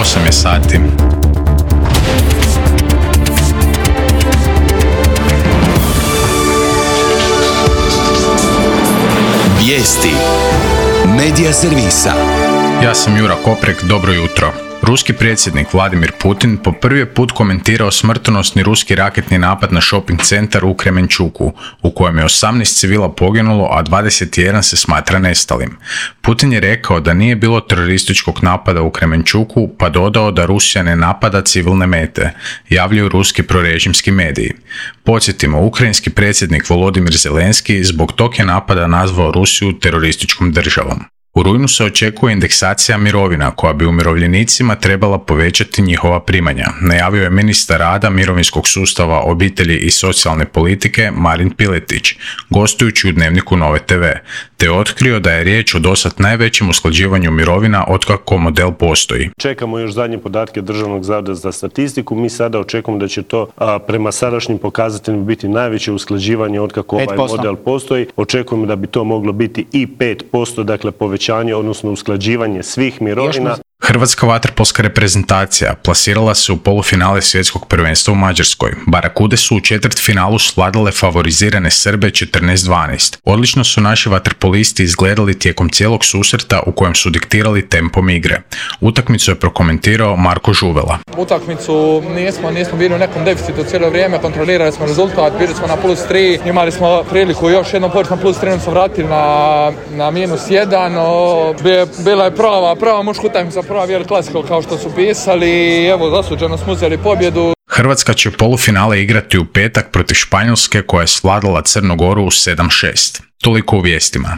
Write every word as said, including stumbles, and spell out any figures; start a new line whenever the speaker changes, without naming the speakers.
osam je sati.
Vijesti Medija servisa.
Ja sam Jura Koprek, dobro jutro. Ruski predsjednik Vladimir Putin po prvi je put komentirao smrtonosni ruski raketni napad na shopping centar u Kremenčuku, u kojem je osamnaest civila poginulo, a dvadeset jedan se smatra nestalim. Putin je rekao da nije bilo terorističkog napada u Kremenčuku, pa dodao da Rusija ne napada civilne mete, javljaju ruski prorežimski mediji. Podsjetimo, ukrajinski predsjednik Volodimir Zelenski zbog tog je napada nazvao Rusiju terorističkom državom. U rujnu se očekuje indeksacija mirovina koja bi umirovljenicima trebala povećati njihova primanja, najavio je ministar rada, mirovinskog sustava, obitelji i socijalne politike Marin Piletić, gostujući u Dnevniku Nove te ve, te otkrio da je riječ o dosad najvećem usklađivanju mirovina otkako model postoji.
Čekamo još zadnje podatke Državnog zavoda za statistiku, mi sada očekujemo da će to a, prema sadašnjim pokazateljima biti najveće usklađivanje otkako ovaj model postoji. Očekujemo da bi to moglo biti i pet posto, dakle povećanje, odnosno usklađivanje svih mirovina.
Hrvatska vaterpolska reprezentacija plasirala se u polufinale svjetskog prvenstva u Mađarskoj. Barakude su u četvrtfinalu svladale favorizirane Srbe četrnaest dvanaest. Odlično su naši vaterpolisti izgledali tijekom cijelog susreta u kojem su diktirali tempom igre. Utakmicu je prokomentirao Marko Žuvela.
Utakmicu nismo, nismo bili u nekom deficitu cijelo vrijeme, kontrolirali smo rezultat, bili smo na plus tri, imali smo priliku još jednom poći na plus tri, smo vratili na, na minus jedan. Bila je prava, prava muška utakmica, prva vjera klasika kao što su pisali i evo zasuđeno smo uzeli pobjedu.
Hrvatska će polufinale igrati u petak protiv Španjolske koja je svladala Crnu Goru u sedam šest. Toliko u vijestima.